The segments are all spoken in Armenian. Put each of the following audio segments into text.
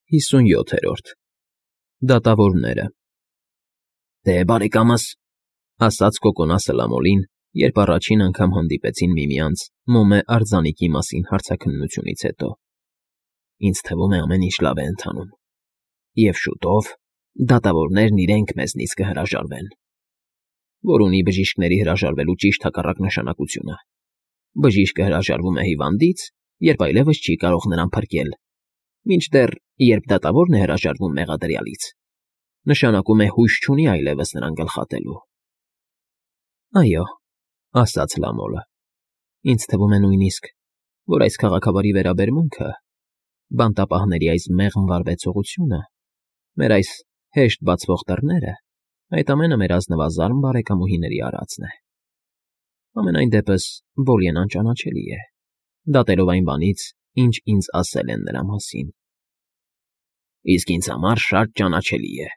57-րդ Դատավորները Դե բարեկամս, ասաց Կոկոնասը Լամոլին, երբ առաջին անգամ հանդիպեցին միմյանց Մոմե արձանիկի մասին հարցաքննությունից հետո. Ինձ թվում է ամեն ինչ լավ է ընթանում, և շուտով դատավորներն իրենք մեզնից կհրաժարվեն, որ ունի բժիշկների հրաժարվելու ճիշտ հակառակ նշանակությունը. բժիշկը հրաժարվում է հիվանդից, երբ այլևս չի կարող նրան փրկել, մինչդեռ երբ դատավորն է հրաժարվում մեղադրյալից, նշանակում է հույս չունի այլևս նրան գլխատելու։ Այո, ասաց Լամոլը, ինձ թվում է նույնիսկ, որ այս քաղաքավարի վերաբերմունքը, բանտապահների այս մեղմ վարվեցողությունը, մեր այս հեշտ բացվող դռները, այդ ամենը մեր ազնվազարմ բարեկամուհիների արածն է։ Համենայն դեպս Բոլիեն անճանաչելի է, դատելով այն բանից, ինչ ինձ ասել են նրա մասին։ Իսկ ինձ համար շատ ճանաչելի է,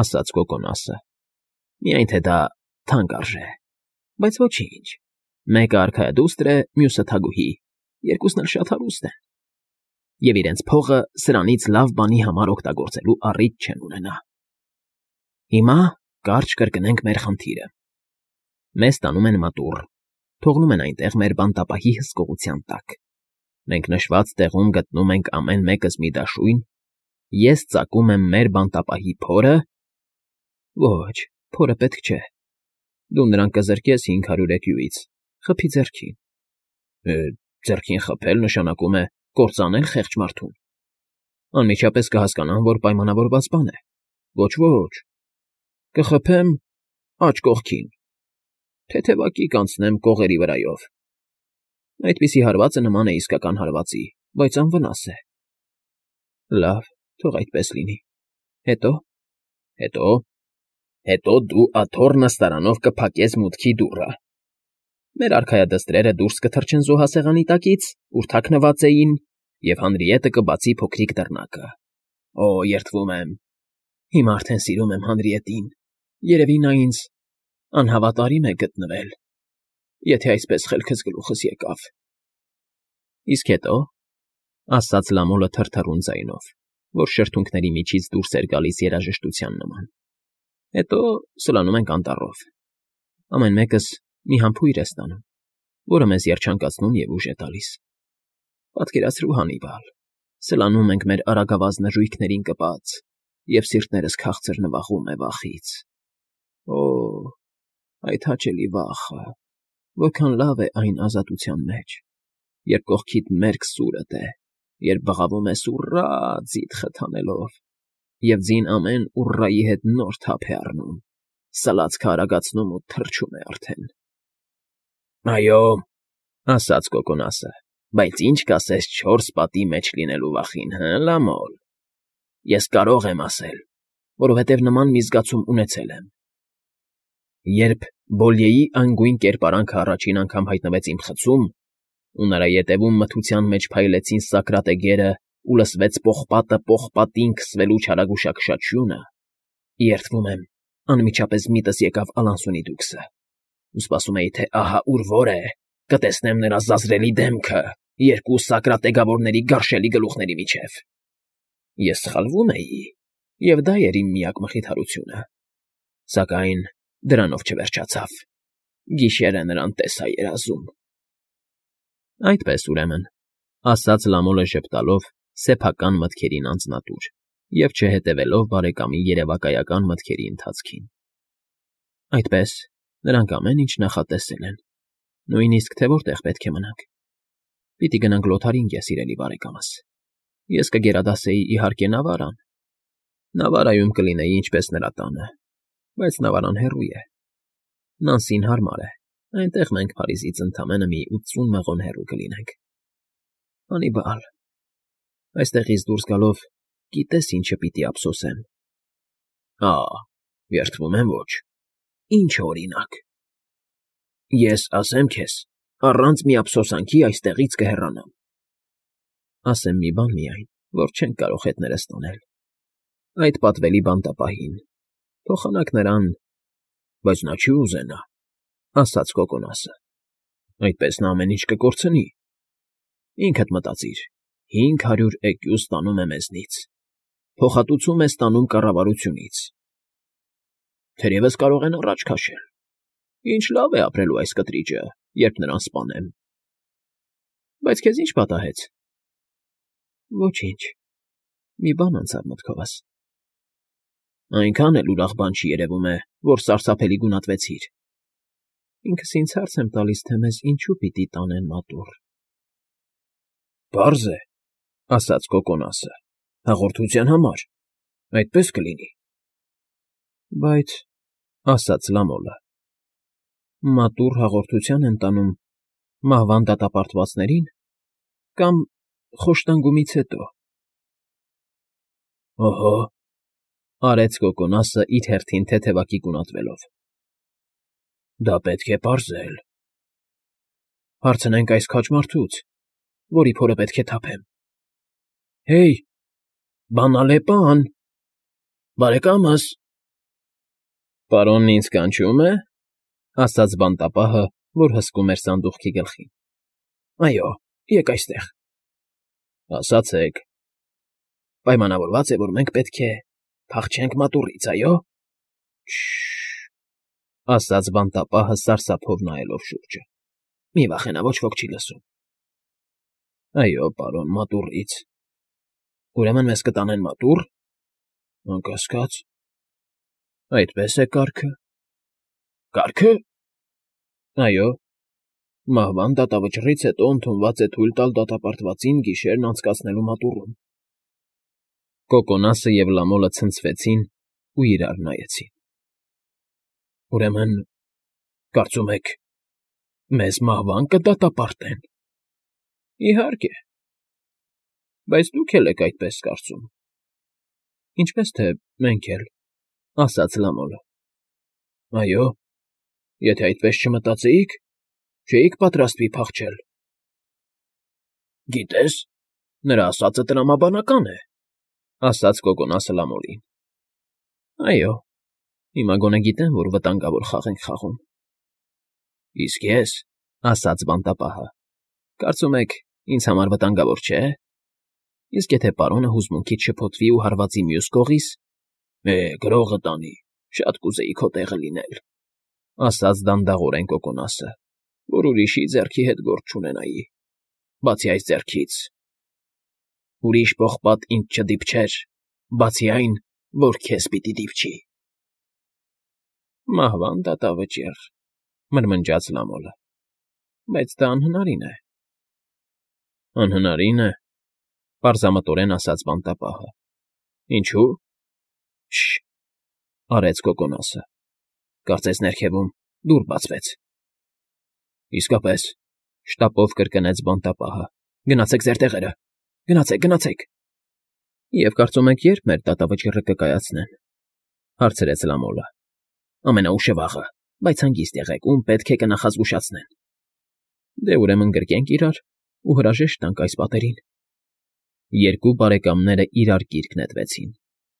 ասաց Կոկոնասը, միայն թե դա թանկ արժե, բայց ոչինչ, մեկը արքայադուստր է, մյուսը թագուհի, երկուսն էլ շատ հարուստ են, և իրենց փողը սրանից լավ բանի համար օգտագործելու առիթ չեն ունենա։ Հիմա կարճ կրկնենք մեր խնդիրը։ Մեզ տանում են մատուռ, թողնում են այնտեղ մեր բանտապահի հսկողության տակ։ Մենք նշված տեղում գտնում ենք ամեն մեկս մի դաշույն, ես ծակում եմ մեր բանտապահի փորը… Ոչ, փորը պետք չէ, դու նրան կզրկես 500 էկյուից, խփի ձեռքին։ Ձեռքին խփել նշանակում է կործանել խեղճ մարդուն։ Անմիջապես կհասկանան, որ պայմանավորված բան է։ Ոչ, կխփեմ աջ կողքին, թեթևակի կանցնեմ կողերի վրայով։ Այդպիսի հարվածը նման է իսկական հարվածի, բայց անվնաս է։ Լավ, թող այդպես լինի։ Հետո դու աթոռ նստարանով կփակես մուտքի դուռը։ Մեր արքայադստրերը դուրս կթռչեն զոհասեղանի տակից, ուր թաքնված էին, և Հանրիետը կբացի փոքրիկ դռնակը։ Օ, երդվում եմ, հիմա արդեն սիրում եմ Հանրիետին, երևի նա ինձ անհավատարիմ է գտնվել, եթե այսպես խելքս գլուխս եկավ։ Իսկ հետո, ասաց Լամոլը թրթռուն ձայնով, որ շրթունքների միջից դուրս էր գալիս երաժշտության նման։ Հետո սլանում ենք անտառով։ Ամեն մեկս մի համբույր է ստանում, որը մեզ երջանկացնում և ուժ է տալիս։ Պատկերացրու, Հանիբալ, սլանում ենք մեր արագավազ նժույգներին կպած, և սիրտներս քաղցր նվաղում է վախից։ Օ, այդ հաճելի վախը, որքան լավ է այն ազատության մեջ, երբ կողքիդ մերկ սուրդ է, երբ բղավում ես ուռա ձիթ խթանելով, և ձին ամեն ուռայի հետ նոր թափ է առնում, սլացքը արագացնում ու թռչում է արդեն։ Այո, ասաց Կոկոնասը, բայց ինչ կասես 4 պատի մեջ լինելու վախին, Լամոլ։ Ես կարող եմ ասել, որովհետև նման մի զգացում ունեցել եմ։ Երբ Բոլիեի անգույն կերպարանքը առաջին անգամ հայտնվեց իմ խցում, ու նրա ետևում մթության մեջ փայլեցին սակրատեգերը ու լսվեց պողպատը պողպատին քսվելու չարագուշակշաչյունը, երդվում եմ, անմիջապես միտս եկավ Ալանսոնի դուքսը, ու սպասում էի, թե ահա ուր որ է, կտեսնեմ նրա զազրելի դեմքը երկու սակրատեգավորների գարշելի գլուխների միջև։ Ես սխալվում էի, և դա էր իմ միակ մխիթարությունը, սակայն դրանով չվերջացավ։ Գիշերը նրան տեսա երազում։ Այդպես, ուրեմն, ասաց Լամոլը ժպտալով սեփական մտքերին անձնատուր և չհետևելով բարեկամի երևակայական մտքերի ընթացքին։ Այդպես, նրանք ամեն ինչ նախատեսել են, նույնիսկ թե որտեղ պետք է մնանք։ Պիտի գնանք Լոթարինգիա, սիրելի բարեկամս։ Ես կգերադասեի, իհարկե, Նավարան։ Նավարայում կլինեի ինչպես նրա տանը, բայց Նավարան հեռու է։ Նանսին հարմար է, այնտեղ մենք Փարիզից ընդամենը մի 80 մղոն հեռու կլինենք։ Հանիբալ, այստեղից դուրս գալով գիտես ինչը պիտի ափսոսեմ։ Երդվում եմ ոչ։ Ինչ օրինակ։ Ես ասեմ քեզ, առանց մի ափսոսանքի այստեղից կհեռանամ։ Ասեմ մի բան միայն, որ չենք կարող հետներս տանել։ Այդ պատվելի բանտապահին, թողանք նրան, բայց նա չի ուզենա, ասաց Կոկոնասը։ Այդպես նա ամեն ինչ կկորցնի։ Ինքդ մտածիր, 500 էկյու ստանում է մեզնից, փոխհատուցում է ստանում կառավարությունից։ Թերևս կարող են առաջ քաշել։ Ինչ լավ է ապրելու այս կտրիճը, երբ նրան սպանեմ։ Բայց քեզ ի՞նչ պատահեց։ Ոչինչ, մի բան անցավ մտքովս։ Այնքան էլ ուրախ բան չի երևում է, որ սարսափելի գունատվեցիր։ Ինքս ինձ հարց եմ տալիս, թե մեզ ինչու պիտի տանեն մատուռ։ Պարզ է, ասաց Կոկոնասը, հաղորդության համար, այդպես կլինի։ Բայց, ասաց Լամոլը, մատուռ հաղորդության են տանում մահվան դատապարտվածներին կամ խոշտանգումից հետո։ Օհո, արեց Կոկոնասը իր հերթին թեթևակի գունատվելով։ Դա պետք է պարզել։ Հարցնենք այս քաջ մարդուց, որի փորը պետք է թափեմ։ Հեյ, բանալեպան, բարեկամս։ Պարոնն ինձ կանչում է, ասաց բանտապահը, որ հսկում էր սանդուղքի գլխին։ Այո, եկ այստեղ։ Ասացեք։ Պայմանավորված է, որ մենք պետք է փախչենք մատուռից, այո։ Ասաց բանտապահը սարսափով նայելով շուրջը։ Մի վախենա, ոչ ոք չի լսում։ Այո, պարոն, մատուռից։ Ուրեմն մեզ կտանեն մատուռ։ Անկասկած։ Այդպես է կարգը։ Կարգը։ Այո։ Մահվան դատավճռից հետո ընդունված է թույլ տալ դատապարտվածին գիշերն անցկացնելու մատուռում։ Կոկոնասը և Լամոլը ցնցվեցին ու իրար նայեցին։ Ուրեմն, կարծում եք, մեզ մահվան կդատապարտեն։ Իհարկե։ Բայց դուք էլ եք այդպես կարծում։ Ինչպես թե մենք էլ, ասաց Լամոլը։ Այո, եթե այդպես չմտածեիք, չէիք պատրաստվի փախչել։ Գիտես, նրա ասածը տրամաբանական է, ասաց Կոկոնասը Լամոլին։ Այո, հիմա գոնե գիտեմ, որ վտանգավոր խաղ ենք խաղում։ Իսկ ես, ասաց բանտապահը, կարծում եք, ինձ համար վտանգավոր չէ։ Իսկ եթե պարոնը հուզմունքից շփոթվի ու հարվածի մյուս կողից, գրողը տանի, շատ կուզեի քո տեղը լինել, ասաց դանդաղորեն Կոկոնասը, որ ուրիշի ձեռքի հետ գործ չունենայի, բացի այս ձեռքից։ Ուրիշ պողպատ ինձ չդիպչեր, բացի այն, որ քեզ պիտի դիպչի։ Մահվան դատավճիռ, մրմնջաց Լամոլը, բայց դա անհնարին է։ Անհնարին է, պարզամտորեն ասաց բանտապահը։ Ինչու՞։ Արեց Կոկոնասը։ Կարծես ներքևում դուռ բացվեց։ Իսկապես, շտապով կրկնեց բանտապահը։ Գնացեք ձեր տեղերը, գնացեք։ Եվ կարծում եք երբ մեր դատավճիռը կկայացնեն, հարցրեց Լամոլը։ Ամենաուշը վաղը, բայց հանգիստ եղեք, ում պետք է կնախազգուշացնեն։ Դե ուրեմն գրկենք իրար ու հրաժեշտ տանք այս պատերին։ Երկու բարեկամները իրար կիրք նետվեցին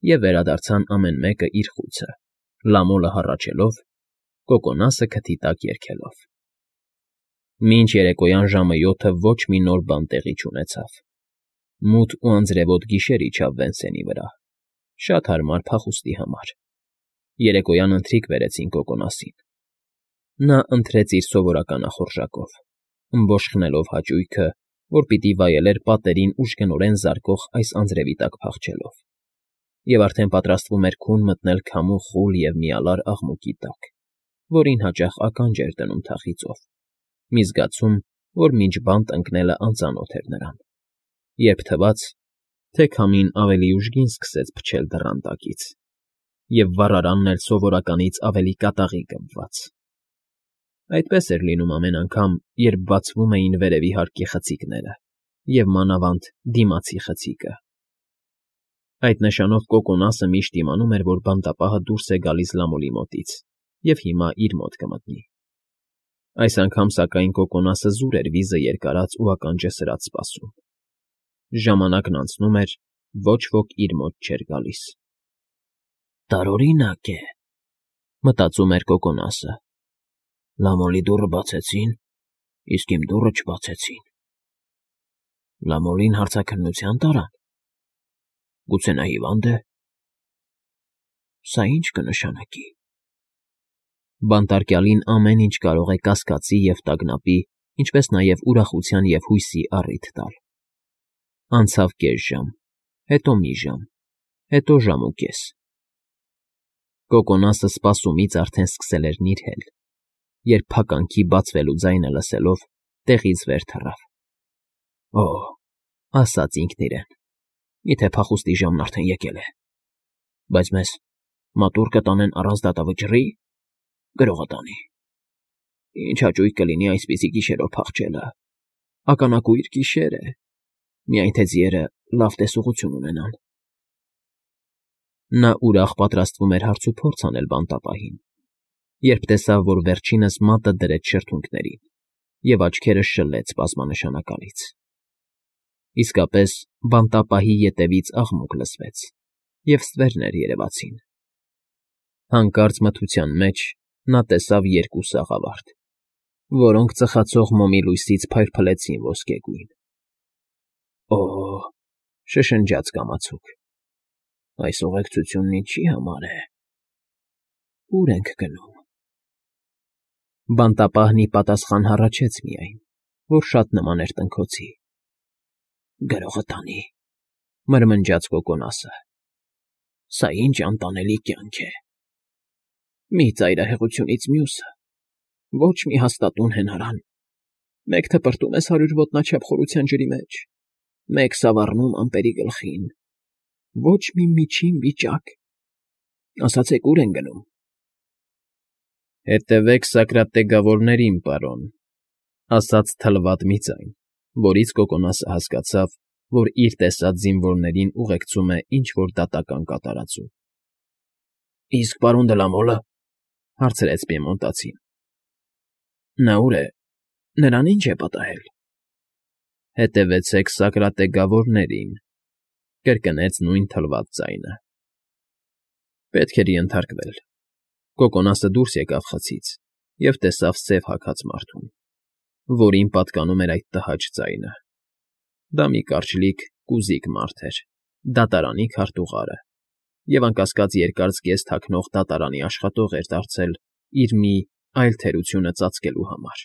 և վերադարձան ամեն մեկը իր խուցը, Լամոլը հառաչելով, Կոկոնասը քթի տակ երգելով։ Մինչ երեկոյան ժամը 7-ը ոչ մի նոր բան տեղի չունեցավ։ Մութ ու անձրևոտ գիշեր իջավ Վենսենի վրա, շատ հարմար փախուստի համար։ Երեկոյան ընթրիք բերեցին Կոկոնասին։ Նա ընթրեց իր սովորական ախորժակով, ըմբոշխնելով հաճույքը, որ պիտի վայելեր պատերին ուժգնորեն զարկող այս անձրևի տակ փախչելով, և արդեն պատրաստվում էր քուն մտնել քամու խուլ և միալար աղմուկի տակ, որին հաճախ ականջ էր դնում թախիծով, մի զգացում, որ մինչ բանտ ընկնելը անծանոթ էր նրան, երբ թվաց, թե քամին ավելի ուժգին սկսեց փչել դռան տակից, և վառարանն էլ սովորականից ավելի կատաղի գմված։ Այդպես էր լինում ամեն անգամ, երբ բացվում էին վերևի հարկի խցիկները և մանավանդ դիմացի խցիկը։ Այդ նշանով Կոկոնասը միշտ իմանում էր, որ բանտապահը դուրս է գալիս Լամոլի մոտից և հիմա իր մոտ կմտնի։ Այս անգամ, սակայն, Կոկոնասը զուր էր վիզը երկարած ու ականջը սրած սպասում։ Ժամանակն անցնում էր, ոչ ոք իր մոտ չէր գալիս։ Տարօրինակ է, մտածում էր Կոկոնասը։ Լամոլի դուռը բացեցին, իսկ իմ դուռը չբացեցին։ Լամոլին հարցաքննության տարան։ Գուցե նա հիվանդ է։ Սա ինչ կնշանակի։ Բանտարկյալին ամեն ինչ կարող է կասկածի և տագնապի, ինչպես նաև ուրախության և հույսի առիթ տալ։ Անցավ կես ժամ, հետո մի ժամ, հետո ժամ ու կես։ Կոկոնասը սպասումից արդեն սկսել էր նիրհել, երբ փականքի բացվելու ձայնը լսելով տեղից վեր թռավ։ «Օ՜», ասաց ինքն իրեն, «միթե փախուստի ժամն արդեն եկել է։ Բայց մեզ մատուռ կտանեն առանց դատավճռի, գրողը տանի։ Ինչ հաճույք կլինի այսպիսի գիշերով փախչելը, ականակույր գիշեր է, միայն թե ձիերը լավ տեսողություն ունենան»։ Նա ուրախ պատրաստվում էր հարցուփորձ անել բանտապահին, երբ տեսավ, որ վերջինս մատը դրեց շրթունքներին և աչքերը շլեց բազմանշանակալից։ Իսկապես, բանտապահի ետևից աղմուկ լսվեց, և ստվերներ երևացին։ Հանկարծ մթության մեջ նա տեսավ երկու սաղավարտ, որոնք ծխացող մոմի լույսից փայլփլեցին ոսկեգույն։ «Օ՜», շշնջաց կամացուկ, «այս ուղեկցությունն ինչի համար է։ Ո՞ւր ենք գնում»։ Բանտապահն ի պատասխան հառաչեց միայն, որ շատ նման էր տնքոցի։ «Գրողը տանի», մրմնջաց Կոկոնասը, «սա ինչ անտանելի կյանք է։ Մի ծայրահեղությունից մյուսը, ոչ մի հաստատուն հենարան, մեկ թպրտում ես 100 ոտնաչափ խորության ջրի մեջ, մեկ սավառնում ամպերի գլխին, ոչ մի միջին վիճակ։ Ասացեք, ո՞ւր ենք գնում»։ «Հետևեք Սակրատեգավորներին, պարոն», ասաց թլվատ մի ձայն, որից Կոկոնասը հասկացավ, որ իր տեսած զինվորներին ուղեկցում է ինչ֊որ դատական կատարածում։ «Իսկ պարոն Դլամոլը,֊ հարցրեց պիեմոնտացին,֊ նա ուր է, նրան ի՞նչ է պատահել»։ «Հետևեցեք Սակրատեգավորներին», կրկնեց նույն թլված ձայնը։ Պետք էր ենթարկվել։ Կոկոնասը դուրս եկավ խցից և տեսավ սև հագած մարդուն, որին պատկանում էր այդ տհաճ ձայնը։ Դա մի կարճլիկ, կուզիկ մարդ էր, դատարանի քարտուղարը, և անկասկած երկար զգեստ հագնող դատարանի աշխատող էր դարձել իր մի այլ թերությունը ծածկելու համար,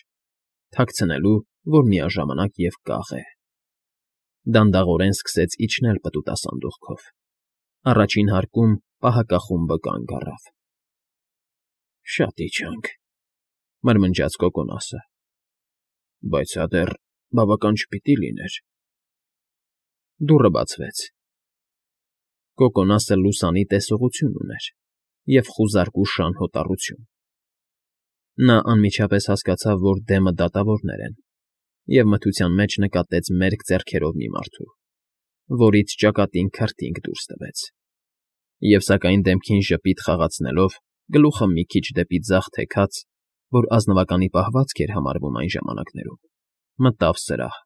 թաքցնելու, որ միաժամանակ և կաղ է։ Դանդաղորեն սկսեց իջնել պտուտասանդուղքով։ Առաջին հարկում պահակախումբը կանգ առավ։ «Շատ իջանք», մրմնջաց Կոկոնասը, «բայց սա դեռ բավական չպիտի լիներ»։ Դուռը բացվեց։ Կոկոնասը լուսանի տեսողություն ուներ և խուզարկու շան հոտառություն։ Նա անմիջապես հասկացավ, որ դեմը դատավորներ են, և մթության մեջ նկատեց մերկ ձեռքերով մի մարդու, որից ճակատին քրտինք դուրս տվեց, և սակայն դեմքին ժպիտ խաղացնելով, գլուխը մի քիչ դեպի ձախ թեքած, որ ազնվականի պահվածք էր համարվում այն ժամանակներում, մտավ սրահ։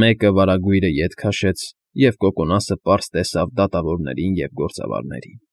Մեկը վարագույրը ետ քաշեց, և Կոկոնասը պարզ տեսավ դատավորներին և գործավարներին։